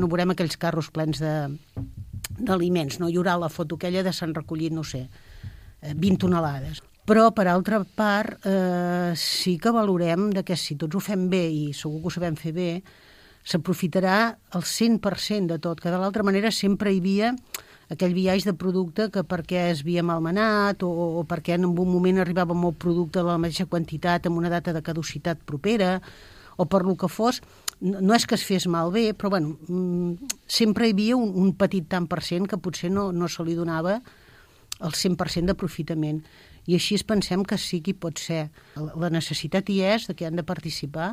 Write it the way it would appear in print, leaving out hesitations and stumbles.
No veurem aquells carros plens d'aliments, no? Hi haurà la foto aquella de s'han recollit, no sé, 20 tonelades. Però, per altra part, sí que valorem que si tots ho fem bé, i segur que ho sabem fer bé, s'aprofitarà el 100% de tot, que de l'altra manera sempre hi havia aquell biaix de producte que perquè es havia malmenat o perquè en un moment arribava molt producte de la mateixa quantitat amb una data de caducitat propera o per lo que fos, no és que es fes malbé, però bueno, sempre hi havia un petit tant per cent que potser no se li donava el 100% d'aprofitament. I així pensem que sí que hi pot ser. La necessitat hi és, de que han de participar,